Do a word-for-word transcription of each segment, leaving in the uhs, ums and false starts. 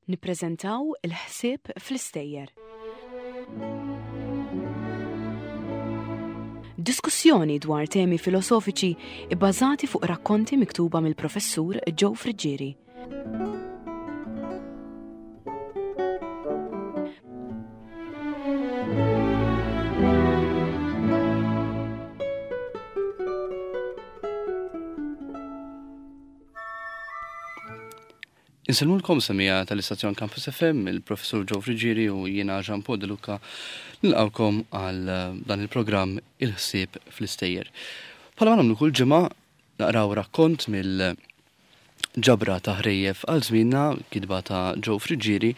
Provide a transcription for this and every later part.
Nippreżentaw il-ħsieb fl-istejjer. Diskussjoni dwar temi filosofiċi ibbażati fuq rakkonti miktuba mill-professur Joe Friggieri. Insellmulkom semija tal-istazzjon Campus F M, il-professur Joe Friggieri u jiena Jean Paul De Luca nilqawkom għal dan il-programm Il-ħsieb fl-istejjer. Bħalma nagħmlu kull ġimgħa naqraw rakkont mill-ġabra ta' ħrejjef għal żmienna, kitba ta' Joe Friggieri,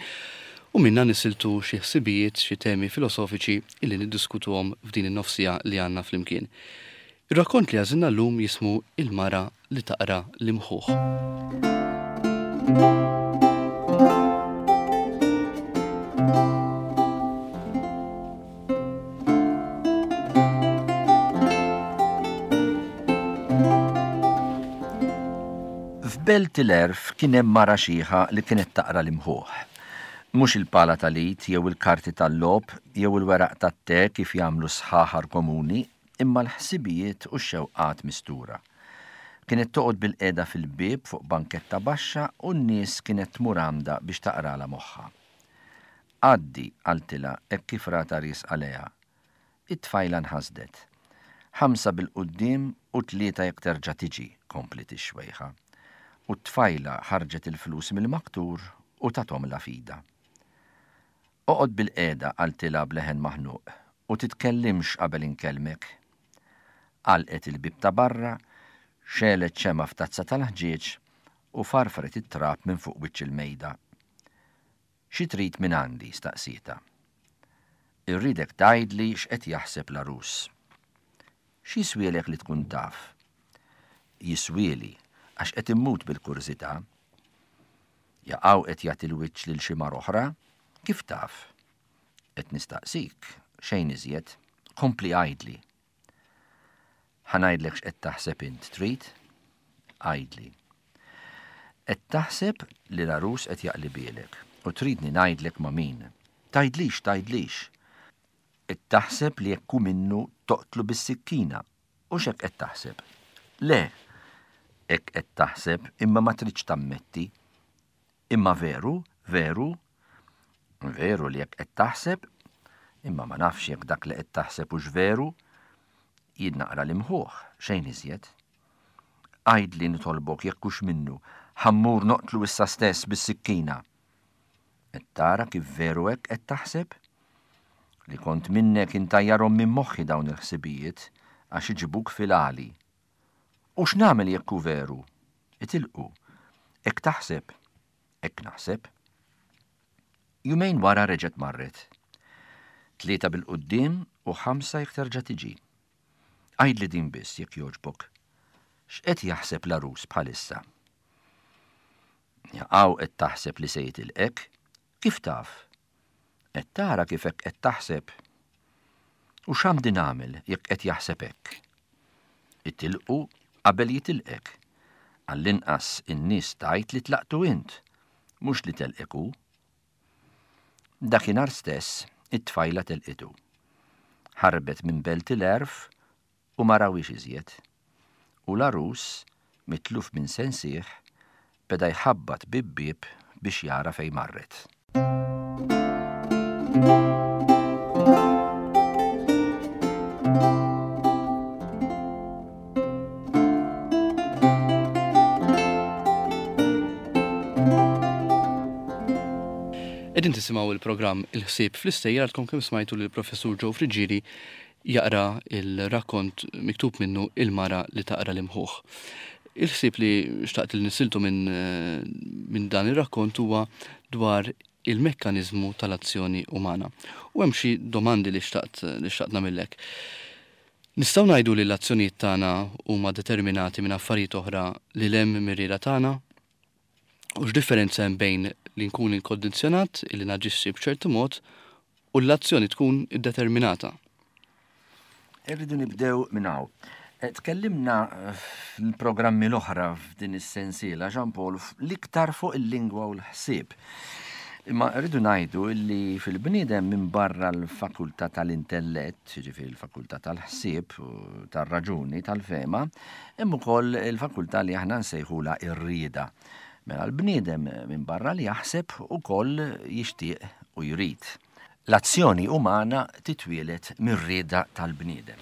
u minna nisiltu xi ħsibijiet, xi temi filosofiċi illi niddiskutuhom f'din in-nofsija li għandna flimkien. Ir-rakkont li għażilna llum jismu Il-mara li taqra l-imħuħ. F'Belt il-Għerf kien hemm mara xiħa li kienet taqra l-imħuħ. Mhux il-pala tal-it jew il-karti tal-logħob jew il-weraq tat-te kif jagħmlu sħaħar komuni, imma l-ħsibijiet u x-xewqat mistura. Kienet toqgħod bil-qiegħda fil-bieb fuq banketta baxxa u n-nies kienet tmur għamda biex taqralha moħħha. Għaddi, qaltilha hekk kif rata ries għaliha. It-tfajla nħasdet. Ħamsa bil-quddiem u tlieta jekk terġa' tiġi, komplet ix-xwejħa. U t-tfajla ħarġet il-flus mill-maktur u tathom la fida. Oqgħod bil-qiegħda, qaltilha b'leħen maħnuq, u titkellimx qabel inkellmek. Għalqet il-bieb ta' barra, xelet xema f'tazza tal-ħġieġ u farfret it-trab minn fuq wiċċ il-mejda. Xi trid minn għandi? Staqsietha. Irridek tgħidli x'qed jaħseb l-għarus. X'jiswielek li tkun taf? Jiswieli għax qed immut bil-kurżità. Jaqaw qed jagħti l-wiċċ lil xi mara oħra? Kif taf? Qed nistaqsik, xejn iżjed, kompli għidli. Ħa ngħidlek x'qed taħseb int, trid? Għidli. Qed taħseb li l-għarus qed jaqlibielek u tridni ngħidlek ma' min. Tgħidlix, tgħidlix. Qed taħseb li jekk hu minnu toqtlu bis-sikkina. U x'hekk qed taħseb? Le, hekk qed taħseb imma ma tridx tammetti. Imma veru, veru, veru li hekk qed taħseb, imma ma nafx jekk dak li qed taħseb hux veru. Jien naqra l-imħuħ, xejn iżjed. Għidli nitolbok jekk hux minnu, ħammur noqtlu issa stess bis-sikkina. Qed tara kif veru hekk qed taħseb? Li kont minnek intajjarhom minn moħħi dawn il-ħsibijiet għax iġibuk fil-għali. U x'nagħmel jekk hu veru? Itilqu. Hekk taħseb? Hekk naħseb. Jumejn wara reġgħet marret. Tlieta bil-quddiem u ħamsa jekk terġa' tiġi. Għidli din biss jekk jogħġbok. X'qed jaħseb l-għarus bħalissa? Jaqaw qed taħseb li se jitilqek? Kif taf? Qed tara kif hekk qed taħseb? U x'għandi nagħmel jekk qed jaħseb hekk? Itilqu qabel jitilqek. Għall-inqas in-nies tgħid li tlaqtu int, mhux li telqek hu. Dakinhar stess it-tfajla telqitu. Ħarbet minn Belt il-Għerf u ma rawhiex iżjed. U l-għarus, mitluf minn sensih, beda jħabbat bib-bieb biex jara fejn marret. Qegħdin tisimgħu il-programm Il-ħsieb fl-istejjer għadkom kemm smajtu lill-professur Joe Friggieri jaqra il-rakkont miktub minnu Il-mara li taqra l-imħuħ. Il-ħsieb li xtaqt li nisiltu minn, minn dan ir-rakkont huwa dwar il-mekkaniżmu tal-azzjoni umana. U hemm xi domandi li xtaqt, li xtaqt nagħmillek. Nistgħu ngħidu li l-azzjonijiet tagħna huma determinati minn affarijiet oħra li hemm mir-rieda tagħna? U x'differenza hemm bejn li nkun inkondizzjonat, li naġixxi b'ċertu mod, u l-azzjoni tkun iddeterminata? Irridu nibdew minn hawn. Eh, tkellimna fil-programmi l-oħra f'din is-sensiela, Jean Paul, l-iktar fuq il-lingwa u l-ħsieb. Imma rridu ngħidu li fil-bniedem minn barra l-fakultà tal-intellett, jiġifieri l-fakultà tal-ħsieb, tar-raġuni, tal-fehma, hemm ukoll il-fakultà li aħna nsejħulha ir-rieda. Mela l-bniedem minn barra li jaħseb ukoll jixtieq u jrid. L-azzjoni umana titwieled mir-rieda tal-bniedem.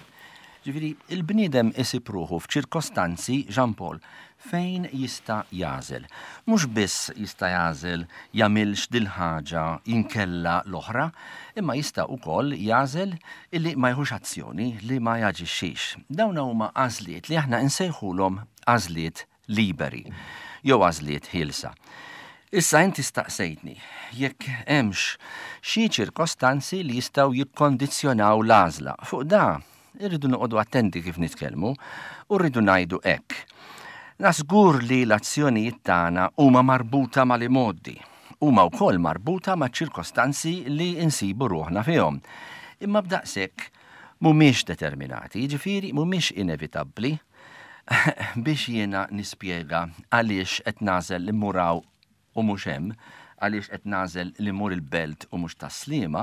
Ġifieri, il-bniedem isib ruħu f'ċirkostanzi, Jean Paul, fejn jista' jagħżel. Mhux biss jista' jagħżel jagħmilx dil-ħaġa inkella l-oħra, imma jista' wkoll jagħżel illi ma jieħux azzjoni, li ma jaġixxix. Dawn huma għażliet li aħna nsejħulhom għażliet liberi jew għażliet ħielsa. Issa inti staqsejtni jekk hemmx xi ċirkostanzi li jistgħu jikkondizzjonaw l-għażla. Fuq da irridu noqogħdu attenti kif nitkellmu u rridu ngħidu hekk. Żgur li l-azzjonijiet tagħna huma marbuta mal-imgħoddi, huma wkoll marbuta ma' ċirkostanzi li nsibu ruħna fihom. Imma b'daqshekk mhumiex determinati, jiġifieri mhumiex inevitabbli. Biex jiena nispjega għaliex qed nagħżel li mmur hawn u mhux hemm, għaliex qed nagħżel li mmur il-Belt u mhux Tas-Sliema,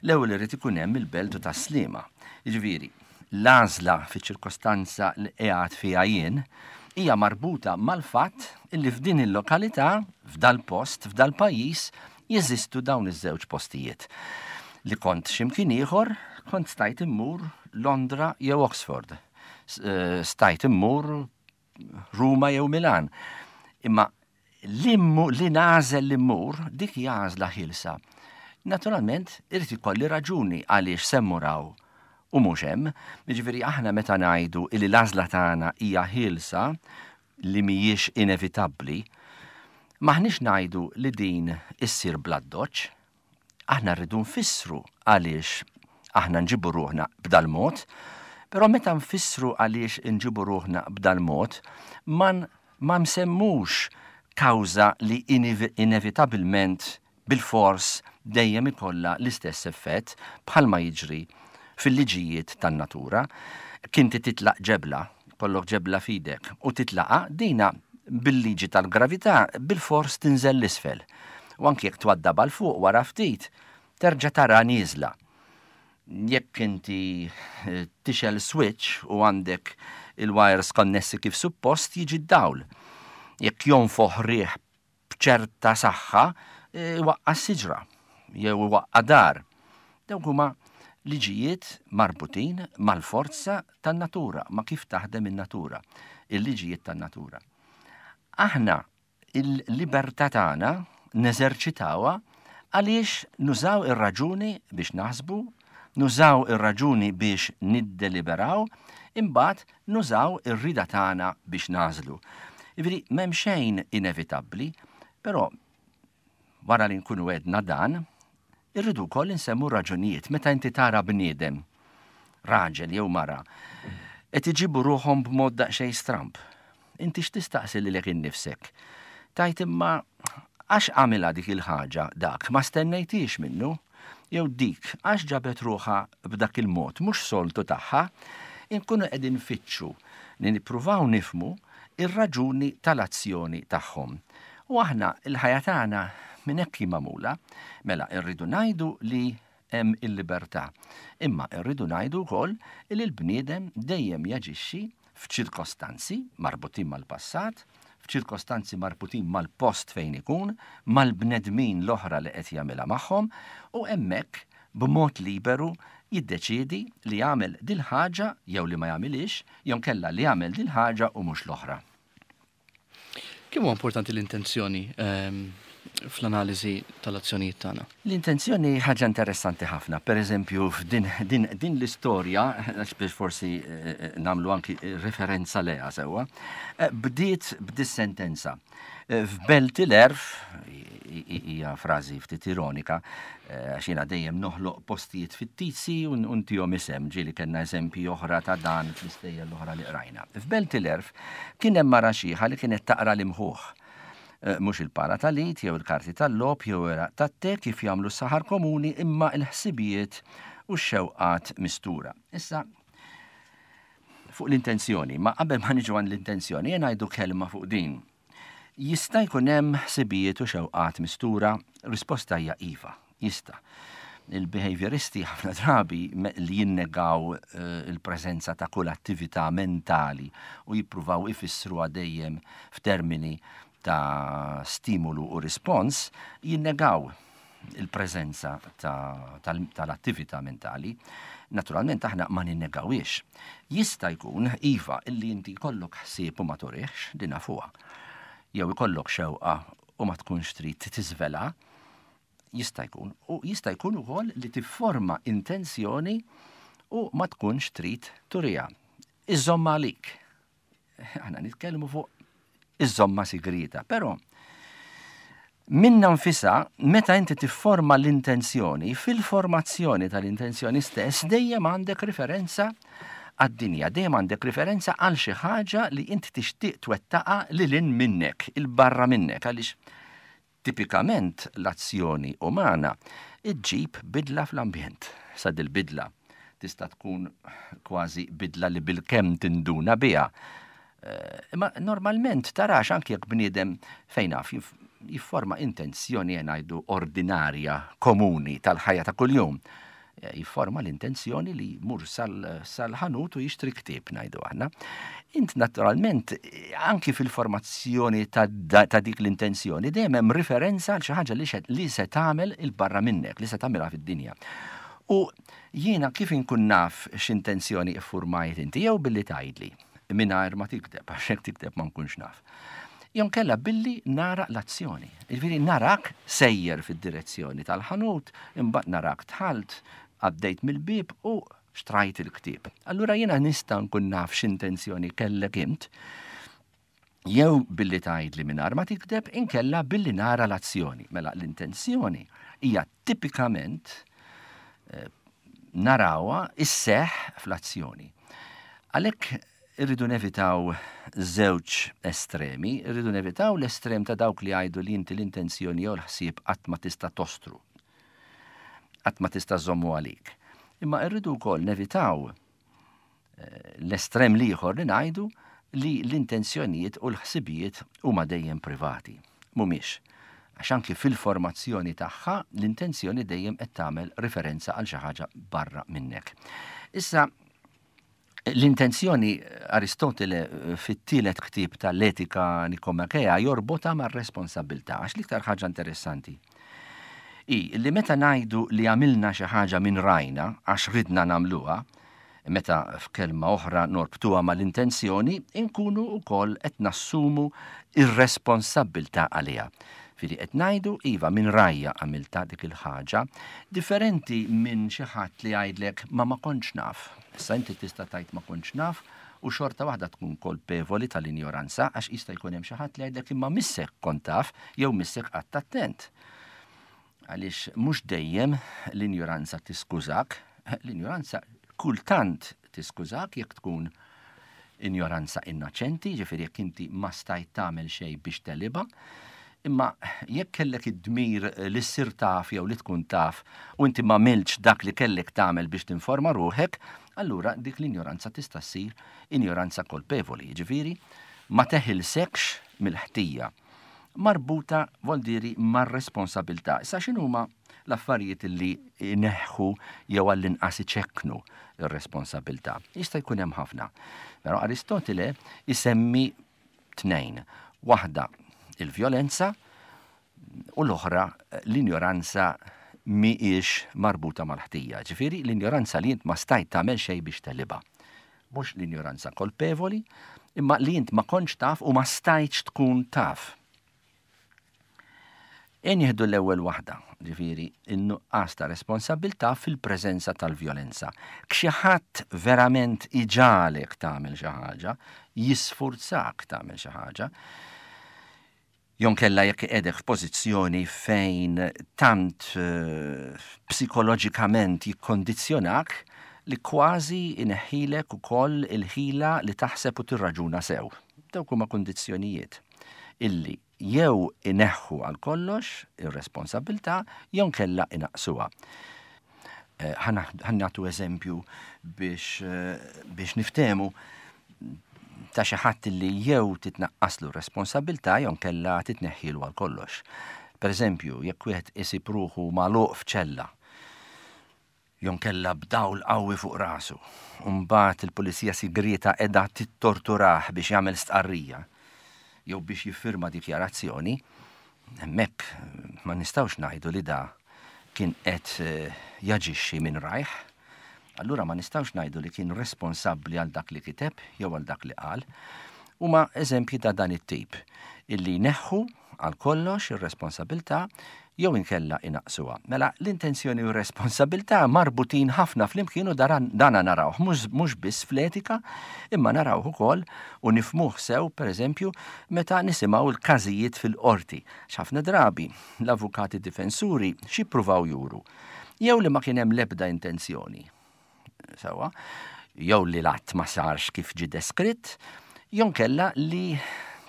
l-ewwel irid ikun hemm il-Belt u Tas-Sliema. Jiġifieri, l-għażla fiċ-ċirkostanza li qiegħed fiha jien hija marbuta mal-fatt illi f'din il-lokalità, f'dal-post, f'dal-pajjiż, jeżistu dawn iż-żewġ postijiet. Li kont x'imkien ieħor, kont stajt immur Londra jew Oxford, stajt immur Ruma jew Milan. Imma li nagħżel li mmur, dik hija għażla ħielsa. Naturalment, irid ikolli raġuni għaliex se mmur hawn u mhux hemm. Jiġifieri aħna meta ngħidu li l-għażla tagħna hija ħielsa li mhijiex inevitabbli, m'aħniex ngħidu li din issir bl-addoċċ. Aħna rridu nfissru għaliex aħna nġibu ruħna b'dal-mod, però meta nfissru għaliex nġibu ruħna b'dal-mod, ma nsemmux kawża li inevitabilment bil-fors dejjem ikollha l-istess effett bħalma jiġri fil-liġijiet tan-natura. Kinti titlaq ġebla, kollok ġebla f'idek, u titlaqa dina bil-liġi tal-gravità bil-fors tinżel l-isfel. U anki jekk twaddab għal fuq wara ftit, terġa' tara nieżla. Jekk inti tixel switch u għandek il-wires konnessi kif suppost, jiġi d-dawl. Jekk jonfoħ riħ b'ċerta saħħa, iwaqqa' siġra jew iwaqqa' dar. Dawk huma liġijiet marbutin mal-forza tan-natura, ma kif taħdem in-natura, il-liġijiet tan-natura. Aħna il-libertà tagħna neżerċitawha għaliex nużaw ir-raġuni biex naħsbu, nużaw ir-raġuni biex niddeliberaw, imbagħad nużaw ir-rida tagħna biex nagħżlu. Jiġifieri m'hemm xejn inevitabbli, però wara li nkunu għedna dan, irridu wkoll insemmu raġunijiet. Meta inti tara bniedem, raġel jew mara, qed iġibu ruħhom b'mod daqsxejn stramb. Inti x'tistaqsi lilek innifsek? Tajt imma għax għamilha dik il-ħaġa dak, ma stennejtix minnu, jew dik għax ġabet ruħha b'dak il-mod mhux soltu tagħha, inkunu qegħdin nfittxu li nippruvaw nifhmu ir-raġuni tal-azzjoni tagħhom. U aħna il-ħajja tagħna minn hekk hi magħmula, mela rridu ngħidu li hemm il-libertà. Imma rridu ngħidu wkoll li l-bniedem dejjem jaġixxi f'ċirkostanzi marbutin mal-passat, f'ċirkostanzi marbutin mal-post fejn ikun, mal-bnedmin l-oħra li qed jagħmilha magħhom, u hemmhekk b'mod liberu jiddeċiedi li jagħmel dil-ħaġa jew li ma jagħmilix, jew kella li jagħmel dil-ħaġa u mhux l-oħra. Kemm huwa importanti l-intenzjoni, ehm, fl-analiżi tal-azzjonijiet tagħna? L-intenzjoni ħaġa interessanti ħafna. Per eżempju, f'din, din, din l-istorja, għax biex forsi, eh, eh, nagħmlu anki referenza leha sewwa, eh, bdiet b'dis-sentenza. Eh, f'Belt il-Għerf, hija frażi ftit ironika, eh, għax jiena dejjem noħloq postijiet fittizi u ntihom isem, ġieli kellna eżempji oħra ta' dan fl-istejjer l-oħra li qrajna. F'Belt il-Għerf kien hemm mara xiħa li kienet taqra l-imħuħ. Eh, mhux il-pala tal-id jew il-karti tal-logħob jew weraq tat-te kif jagħmlu s-saħar komuni, imma l-ħsibijiet u x-xewqat mistura. Issa, fuq l-intenzjoni, ma qabel ma niġu għand l-intenzjoni, jien ngħidu kelma fuq din. Jista' jkun hemm ħsibijiet u xewqat mistura? Risposta hija iva, jista'. Il-behavioristi ħafna drabi li jinnegaw eh, il-preżenza ta' kull attività mentali u jippruvaw ifissru dejjem f'termini ta' stimolu u rispons, jinnegaw il-preżenza tal-attività mentali. Naturalment aħna ma ninnegawiex. Jista' jkun, iva, illi inti jkollok ħsieb u ma turihx, din nafuha. Jew ikollok xewqa u ma tkunx trid tiżvela, jista' jkun. U jista' jkun ukoll li tifforma intenzjoni u ma tkunx trid turiha. Iżomma għalik. Aħna nitkellmu fuq iżomma sigrita, però minna nfisa, meta inti tifforma l-intenzjoni, fil-formazzjoni tal-intenzjoni stess, dejjem għandek riferenza għad-dinja, dejjem għandek riferenza għal xi ħaġa li inti tixtieq twettaqa lil hinn minnek, il-barra minnek, għaliex tipikament l-azzjoni umana iġġib bidla fl-ambjent. Sa dil-bidla tista' tkun kważi bidla li bil-kemm tinduna biha. Imma normalment tarax anke jekk bniedem fejn naf jifforma intenzjoni ngħidu ordinarja, komuni tal-ħajja ta' kuljum. Jifforma l-intenzjoni li jmur sal-ħanut u jixtri ktieb ngħidu aħna. Int naturalment anki fil-formazzjoni ta' dik l-intenzjoni dejjem hemm riferenza għal xi ħaġa li se tagħmel il-barra minnek, li se tagħmilha fid-dinja. U jiena kif inkun naf x'intenzjoni iffurmajt inti jew billi tgħidli mingħajr ma tikteb, għax jekk tikteb ma nkunx naf. Jew kella billi nara l-azzjoni. Jiġifieri narak sejjer fid-direzzjoni tal-ħanut, imbagħad narak dħalt, għaddejt mill-bieb u xtrajt il-ktieb. Allura jiena nista' nkun naf x'intenzjoni kellek int, jew billi tgħidli mingħajr ma tikteb, inkella billi nara l-azzjoni. Mela l-intenzjoni hija tipikament narawha isseħħ fl-azzjoni. Għalhekk irridu nevitaw żewġ estremi, irridu nevitaw l-estrem ta' dawk li jgħidu li inti l-intenzjoni jew l-ħsieb qatt ma tista' tostru, qatt ma tista' żommu għalik. Imma irridu wkoll nevitaw l-estrem l-ieħor li ngħidu li l-intenzjonijiet u l-ħsibijiet huma dejjem privati. Mhumiex. Għax anki fil-formazzjoni tagħha l-intenzjoni dejjem qed tagħmel riferenza għal xi ħaġa barra minnek. Issa l-intenzjoni Aristotele fit-tielet ktieb tal-Etika Nikomakea jorbotha mar-responsabilità, għax l-iktar ħaġa interessanti i li meta ngħidu li għamilna xi ħaġa minn rajna għax ridna nagħmluha, meta f'kelma oħra norbtuha mal-intenzjoni, inkunu wkoll qed nassumu ir-responsabilità għaliha. Fili qed ngħidu iva minn rajja għamilta dik il-ħaġa, differenti minn xi ħadd li jgħidlek ma ma kontx naf. Issa inti tista' tgħid ma kontx naf u xorta waħda tkun kolpevoli tal-injoranza għax jista' jkun hemm xi ħadd li jgħidlek imma missek kont taf jew missek qatt attent. Għaliex mhux dejjem l-injoranza tiskużak, l-injoranza kultant tiskużak jekk tkun injoranza innoċenti, ġifieri jekk inti ma stajt tagħmel xejn biex teliba, imma jekk kellek id-dmir li ssir taf jew li tkun taf u inti ma għamiltx dak li kellek tagħmel biex tinforma ruħek, allura dik l-injoranza tista' ssir injoranza kolpevoli, ġifieri ma teħilsekx mill-ħtija. Marbuta vol diri mar-responsabilità. Issa x'inhuma l-affarijiet li ineħħu jew għall-inqas iċekknu ir-responsabilità? Jista' jkun hemm ħafna. Però Aristotele isemmi tnejn. Waħda il-vjolenza u l-oħra l-injoranza mhijiex marbuta mal-ħtija. Ġifieri l-injoranza li int ma stajt tagħmel xejn biex telibha. Mhux l-injoranza kolpevoli, imma li int ma kontx taf u ma stajtx tkun taf. E nieħdu l-ewwel waħda, ġifieri in-nuqqas ta' responsabilità fil-preżenza tal-vjolenza. Xi ħadd verament iġalek tagħmel xi ħaġa, jisfurzak tagħmel xi ħaġa, jonkella jekk qiegħdek f'pożizzjoni fejn tant eh, psikoloġikament jikkondizzjonak li kważi ineħħilek ukoll il-ħila li taħseb u tirraġuna sew. Dawk huma kondizzjonijiet illi jew ineħħu għal kollox ir-responsabilità jew kella inaqsuha. Eh, ħa nagħtu eżempju biex, eh, biex niftehmu. ta' xi ħadd li jew titnaqqaslu r-responsabbiltà jew inkella titneħħilu għal kollox. Per eżempju, jekk wieħed isib ruħu magħluq f'ċella, jew inkella b'dawl qawwi fuq rasu, u mbagħad il-pulizija sigrieta qiegħda tittorturah biex jagħmel stqarrija jew biex jiffirma dikjarazzjoni, hemmhekk ma nistgħux ngħidu li da kien qed jaġixxi minn rajh. Allura ma nistgħux ngħidu li kien responsabbli għal dak li kiteb jew għal dak li qal. Huma eżempji ta' dan it-tip illi neħħu għal kollox ir-responsabilità jew inkella inaqsuha. Mela l-intenzjoni u r-responsabilità marbutin ħafna flimkien u dana narawh mhux biss fl-etika, imma narawh ukoll u nifhmuh sew pereżempju meta nisimgħu l-każijiet fil-qorti. X'ħafna drabi l-avukati difensuri x'ippruvaw juru? Jew li ma kien hemm l-ebda intenzjoni. Sewwa, jew li l-att ma sarx kif ġie deskritt, jew inkella li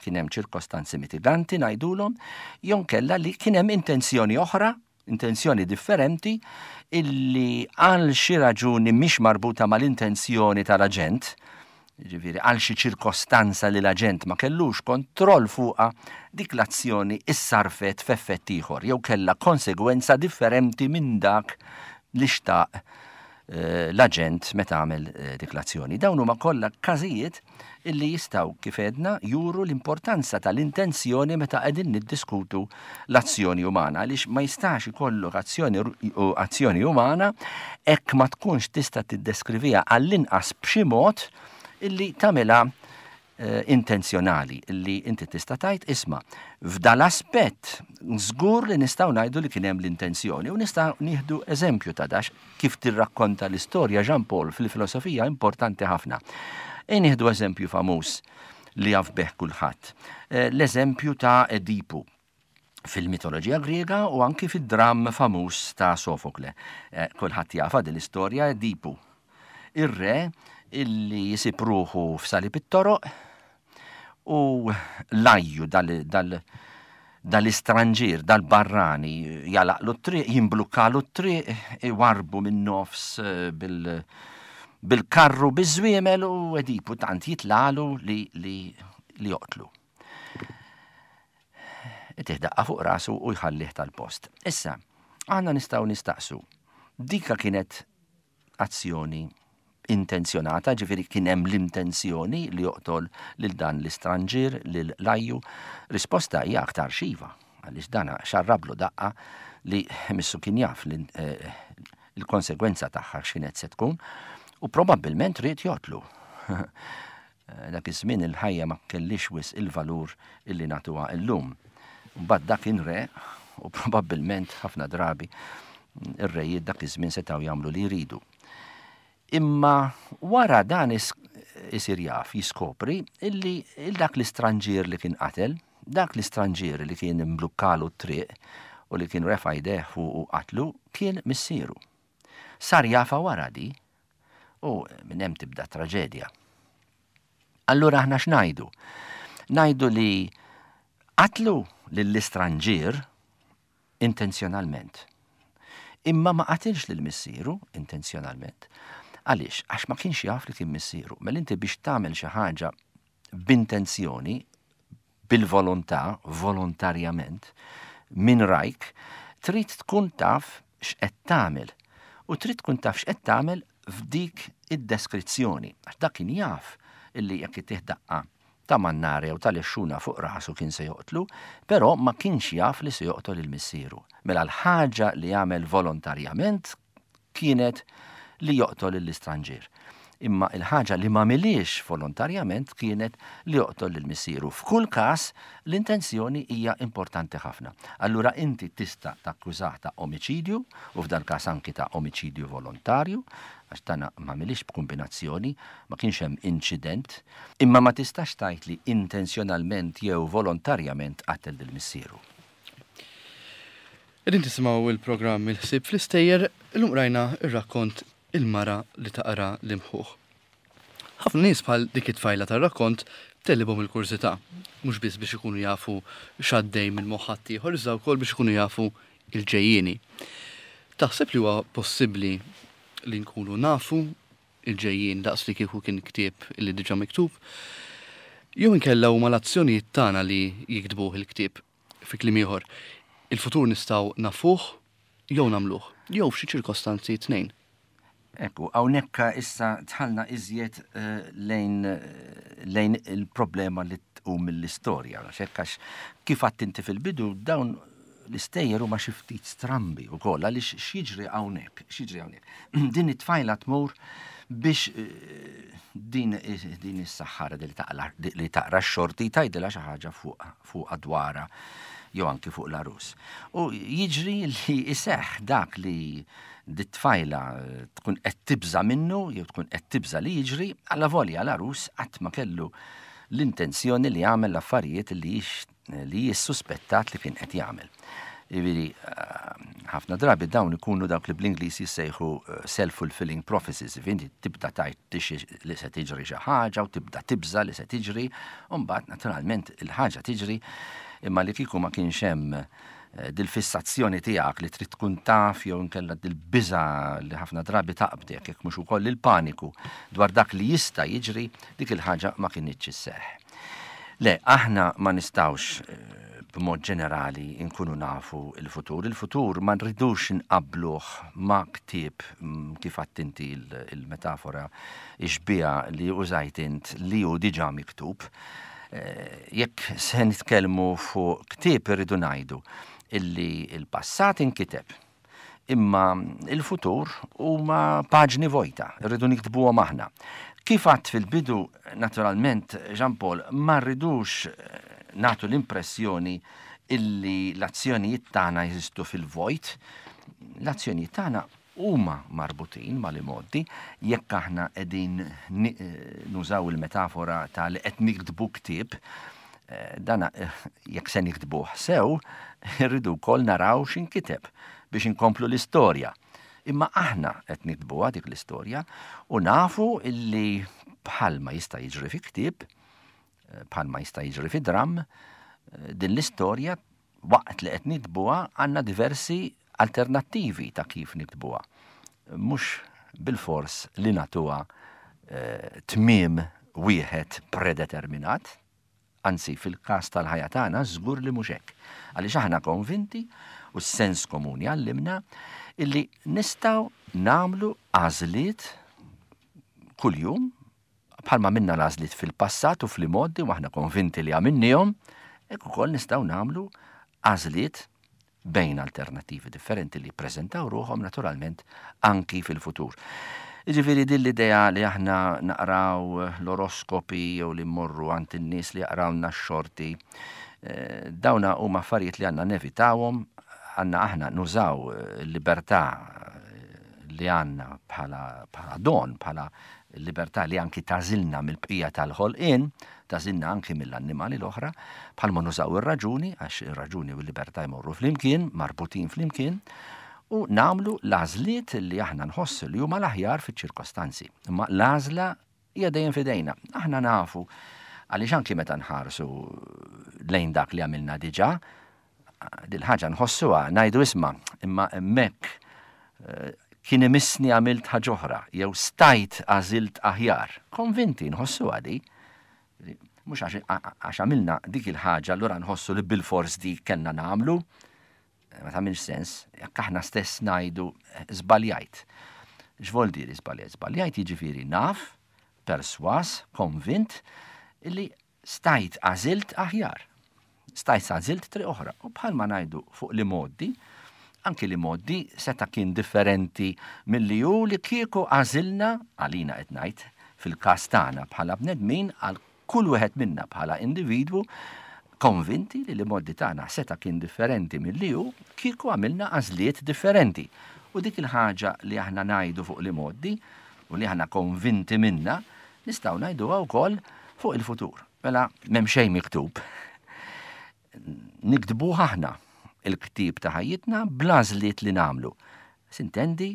kien hemm ċirkostanzi mitiganti ngħidulhom, jew inkella li kien hemm intenzjoni oħra, intenzjoni differenti, illi għal xi raġuni mhix marbuta mal-intenzjoni tal-aġent, jiġifieri għal xi ċirkostanza li l-aġent ma kellux kontroll fuqha, dik l-azzjoni issarfet f'effett ieħor jew kellha konsegwenza differenti minn dak li xtaq l-aġent meta għamel dik l-azzjoni. Dawn huma kollha każijiet illi jistgħu kif għedna juru l-importanza tal-intenzjoni meta qegħdin niddiskutu l-azzjoni umana, għaliex ma jistax ikollok azzjoni azzjoni umana hekk ma tkunx tista' tiddeskriviha għall-inqas b'xi mod illi tagħmilha intenzjonali, illi inti tista' tgħid isma' f'dal-aspett żgur li nistgħu ngħidu li kien hemm l-intenzjoni u nistgħu nieħdu eżempju ta' dax kif tirrakkonta l-istorja Jean Paul fil-filosofija importanti ħafna. E nieħdu eżempju famuż li jaf bih kulħadd. L-eżempju ta' Edipu fil-mitoloġija Griega u anki fid-dramm famuż ta' Sofokle. Kulħadd jafha din l-istorja Edipu. Ir-re illi jisib ruħu f'salib it-toroq u lajju dal-istranġir, dal-barrani, jalaqlu t-triq, jimblukkalu t-triq, iwarbu minn nofs bil-karru biż-żwiemel u Edipu tant jitlalu li li joqtlu. Itih daqqa fuq rasu u jħallih tal-post. Issa, aħna nistgħu nistaqsu, dika kienet azzjoni intenzjonata, ġifieri kien hemm l-intenzjoni li joqtol lil dan l-istranġir, lil lajju. Risposta hija aktar xiva, għaliex dana xarrablu daqqa li missu kien jaf il-konsegwenza tagħha x'kienet se tkun u probabbilment ried joqtlu. Dak iż-żmien il-ħajja ma kellix wisq il-valur illi nagħtuha illum. Mbagħad dak kien re u probabbilment ħafna drabi ir-rejiet dak iż-żmien setgħu jagħmlu li jridu. Imma wara dan isir jaf, jiskopri illi dak l-istranġir li kien qatel, dak l-istranġir li kien imblukkalu t-triq u li kien refa' jdejh fuq u qatlu, kien missieru. Sar jafa wara di u minn hemm tibda traġedja. Allura aħna x'ngħidu? Ngħidu li qatlu lill-istranġir intenzjonalment. Imma ma qatilx lil missieru intenzjonalment. Għaliex? Għax ma kienx jaf li kien missieru. Mela inti biex tagħmel xi ħaġa b'intenzjoni, bil-volontà, volontarjament, minn rajk, trid tkun taf x'qed tagħmel. U trid tkun taf x'qed tagħmel f'dik id-deskrizzjoni. Għax dak kien jaf illi jekk itih daqqa ta' mannare jew tal-exxuna fuq rasu kien se joqtlu, però ma kienx jaf li se joqtol il-missieru. Mela l-ħaġa li jagħmel volontarjament kienet li joqtol l-istranġir. Imma il-ħaġa li ma miliex volontarjament kienet li joqtol lil missieru. F'kull każ l-intenzjoni hija importanti ħafna. Allura inti tista' takkużah ta' omiċidju u f'dan każ anki ta' omiċidju volontarju, għax dan ma miliex b'kombinazzjoni, ma kienx hemm inċident, imma ma tistax tgħid li intenzjonalment jew volontarjament qatel lil missieru. Qegħdin tisimgħu il-programm Il-Ħsieb fl-Istejjer, illum rajna ir-rakkont Il-Mara li taqra l-imħuħ. Ħafna nies bħal dik it-tfajla tar-rakkont tellibhom il-kurżità, mhux biss biex ikunu jafu x'għaddej minn moħħ ħaddieħor, iżda wkoll biex ikunu jafu il-ġejjieni. Taħseb li huwa possibbli li nkunu nafu il-ġejjien daqs li kieku kien ktieb li diġà miktub? Jew inkella huma l-azzjonijiet tagħna li jiktbuh il-ktieb. Fi kliem ieħor, il-futur nistgħu nafuh jew nagħmluh, jew f'xi ċirkostanzi tnejn. Ekku, hawnhekk issa dħalna iżjed eh, lejn, eh, lejn il-problema li tqum mill-istorja. Għax kif għedt inti fil-bidu, dawn l-istejjer huma xi ftit strambi wkoll għaliex x'jiġri hawnhekk, x'jiġri hawnhekk. Din it-tfajla tmur biex eh, din din is-saħħara li taqra x-xorti tgħidilha xi ħaġa fuq fuq dwarha jew anki fuq l-għarus. U jiġri li iseħħ dak li dit-tfajla tkun qed tibża minnu jew tkun qed tibża li jiġri, allavolja l-għarus qatt ma kellu l-intenzjoni li jagħmel l-affarijiet li li jissuspettat li kien qed jagħmel. Jiġifieri, ħafna drabi dawn ikunu dawk li bl-Ingliż jissejħu self-fulfilling prophecies, inti tibda tgħid li se tiġri xi ħaġa u tibda tibża li se tiġri, u mbagħad naturalment il-ħaġa tiġri imma li kieku ma kienx hemm dil-fissazzjoni tiegħek li trid tkun taf jew inkella dil-biża li ħafna drabi taqbdek jekk mhux ukoll il-paniku dwar dak li jista' jiġri, dik il-ħaġa ma kinitx isseħħ. Le, aħna ma nistgħux b'mod ġenerali nkunu nafu il-futur. Il-futur ma nridux nqabluh ma' ktieb kif għedt inti il-metafora ix-xbieha li użajt int li hu diġà miktub. Jekk se nitkellmu fuq ktieb irridu ngħidu illi il-passat inkiteb, imma il-futur huma paġni vojta, irridu niktbuhom aħna. Kif għedt fil-bidu, naturalment, Jean Paul, ma rridux nagħtu l-impressjoni illi l-azzjonijiet tagħna jeżistu fil-vojt. L-azzjonijiet tagħna huma marbutin mal-imgħoddi, jekk aħna qegħdin nużaw il-metafora ta' li qed niktbu ktieb, dana jekk se niktbuh sew, irridu wkoll naraw x'inkiteb biex inkomplu l-istorja. Imma aħna qed niktbuha dik l-istorja u nafu illi bħalma jista' jiġri fi ktieb, bħalma jista' jiġri fi dram, din l-istorja waqt li qed niktbuha għandna diversi alternattivi ta' kif niktbuha. Mhux bil-fors li nagħtuha tmiem wieħed predeterminat, anzi fil-każ tal-ħajja tagħna żgur li mhux hekk. Għaliex aħna konvinti u s-sens komuni għallimna illi nistgħu nagħmlu għażliet kuljum bħalma minna l-għażliet fil-passat u fl-imgħoddi u aħna konvinti li għamilnihom, hekk ukoll nistgħu nagħmlu għażliet bejn alternattivi differenti li jippreżentaw ruħhom naturalment anki fil-futur. Jiġifieri din l-idea li aħna naqraw l-oroskopi jew li mmorru għand in-nies li jaqrawlna x-xorti, dawna huma affarijiet li għandna nevitawhom, għandna aħna nużaw il-libertà li għandna bħala bħala don, bħala libertà li anki tagħżilna mill-bqija tal-ħolqien, tagħżilna anki mill-annimali l-oħra, bħalma nużaw ir-raġuni, għax ir-raġuni u l-libertà jmorru flimkien, marbutin flimkien, u nagħmlu l-għażliet li aħna nħossu li huma l-aħjar fiċ-ċirkostanzi. Imma l-għażla hija dejjem f'idejna. Aħna nafu għaliex anki meta nħarsu lejn dak li għamilna diġà, dil-ħaġa nħossuha, ngħidu isma', imma hemmhekk kien imissni għamilt ħaġa oħra, jew stajt għażilt aħjar. Konvinti nħossuha di. Mhux għax għamilna dik il-ħaġa, allura nħossu li bil-fors di kellna nagħmlu. Ma tagħmilx sens, jekk aħna stess ngħidu żbaljajt. X'vol diri żbaljajt? Żbaljajt jiġifieri naf, perswas, konvint, illi stajt għażilt aħjar. Stajt għażilt triq oħra. U bħalma ngħidu fuq l-imgħoddi, anki l-imgħoddi seta' kien differenti milli hu li kieku għażilna, għalina qed ngħid, fil-każ tagħna bħala bnedmin, għal kull wieħed minna bħala individwu, konvinti li l-imgħoddi tagħna seta' kien differenti milli hu kieku għamilna għażliet differenti. U dik il-ħaġa li aħna ngħidu fuq l-imgħoddi u li aħna konvinti minna, nistgħu ngħiduha wkoll fuq il-futur. Mela m'hemm xejn miktub. Niktbuh aħna il-ktieb ta' ħajjitna bl-għażliet li nagħmlu. Sintendi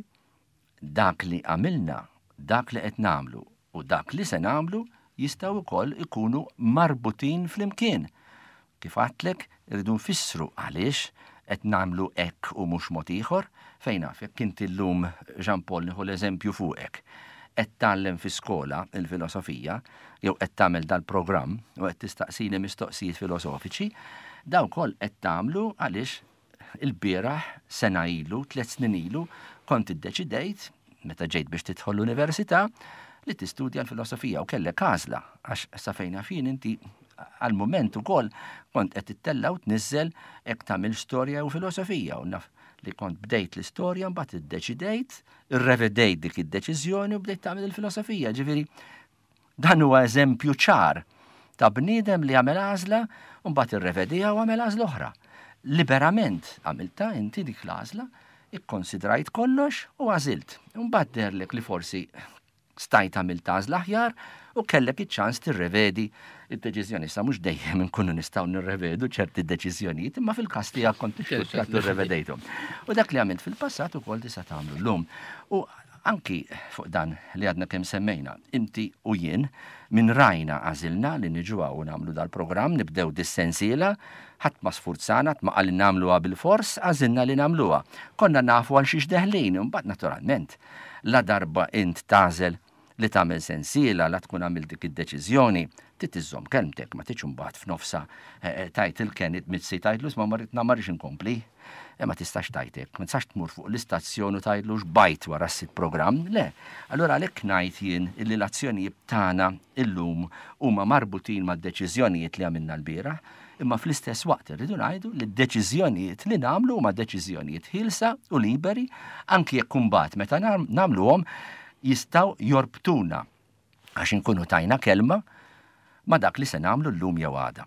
dak li għamilna, dak li qed nagħmlu u dak li se nagħmlu jistgħu wkoll ikunu marbutin flimkien. Kif għedtlek, irridu nfissru għaliex qed nagħmlu hekk u mhux mod ieħor, fejn naf jekk inti llum Jean Paul nieħu l-eżempju fuqek. qed tgħallem fi skola il-filosofija, jew qed tagħmel dal-programm u qed tistaqsini mistoqsijiet filosofiċi, daw koll qed tagħmlu għaliex il-bieraħ, sena ilu, tliet snin ilu, kont iddeċidejt, meta ġejt biex tidħol l-università, li tistudja l-filosofija u kellek għażla, għax sa fejn fin inti għal-moment ukoll kont qed tittella' u tniżżel hekk tagħmel storja u filosofija, u naf li kont bdejt l-istorja, mbagħad iddeċidejt, irrevedejt dik id-deċiżjoni u bdejt tagħmel il-filosofija. Ġifieri dan huwa eżempju ċar ta' bniedem li għamel għażla u mbagħad irrevediha u għamel għażla oħra. Liberament għamilta inti dik l-għażla, ikkonsidrajt kollox u għażilt. Mbagħad deherlek li forsi stajt għamilt għażla aħjar u kellek iċ-ċans tirrevedi id-deċiżjoni. Sa mhux dejjem inkunu nistgħu nirrevedu ċerti deċiżjonijiet, imma fil-każ tiegħek kont tirrevedejthom. U dak li għamilt fil-passat ukoll tista' tagħmlu llum. U anki fuq dan li għadna kemm semmejna, inti u jien minn rajna għażilna li niġu u nagħmlu dal-programm, nibdew dis-sensiela, ħadd ma sfurzana, ħadd ma qal nagħmluha bil-fors, għażilna li nagħmluha. Konna nafu għal xiex deħlin, imbagħad naturalment la darba int tagħżel li tagħmel sensiela, la tkun għamilt dik id-deċiżjoni, trid iżżomm kelmtek, ma tiġ imbagħad f'nofsa tajt il-Kenit Mizzi tgħidlu ma ma rridx inkompli. E ma tistax tajtek, ma tistax tmur fuq l-istazzjon u tgħidlu xbajt wara s-sitt programm, le. Allura għalhekk ngħid jien illi l-azzjonijiet tagħna illum huma marbutin mad-deċiżjonijiet li għamilna l-bieraħ, imma fl-istess waqt irridu ngħidu li d-deċiżjonijiet li nagħmlu huma deċiżjonijiet ħielsa u liberi, anki jekk imbagħad meta nagħmluhom jistgħu jorbtuna għax inkunu tajna kelma ma dak li se nagħmlu llum jew għada.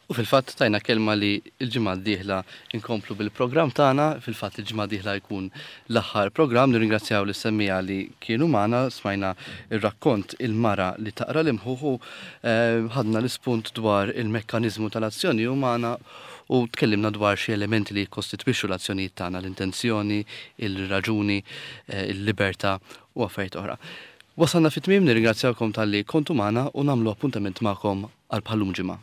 U fil-fatt tajna kelma li l-ġimgħa d-dieħla inkomplu bil-programm tagħna, fil-fatt il-ġimgħa d-dieħla jkun l-aħħar programm. Nirringrazzjaw lis-semmiegħa li kienu magħna, smajna ir-rakkont Il-mara li taqra l-imħuħ u ħadna l-ispunt dwar il-mekkaniżmu tal-azzjoni umana u tkellimna dwar xi elementi li jikkostitwixxu l-azzjonijiet tagħna, l-intenzjoni, il-raġuni, il-libertà u affarijiet oħra. Wasalna fit-tmiem, nirringrazzjawkom talli kontu magħna u nagħmlu appuntament magħkom għal bħallum ġimgħa.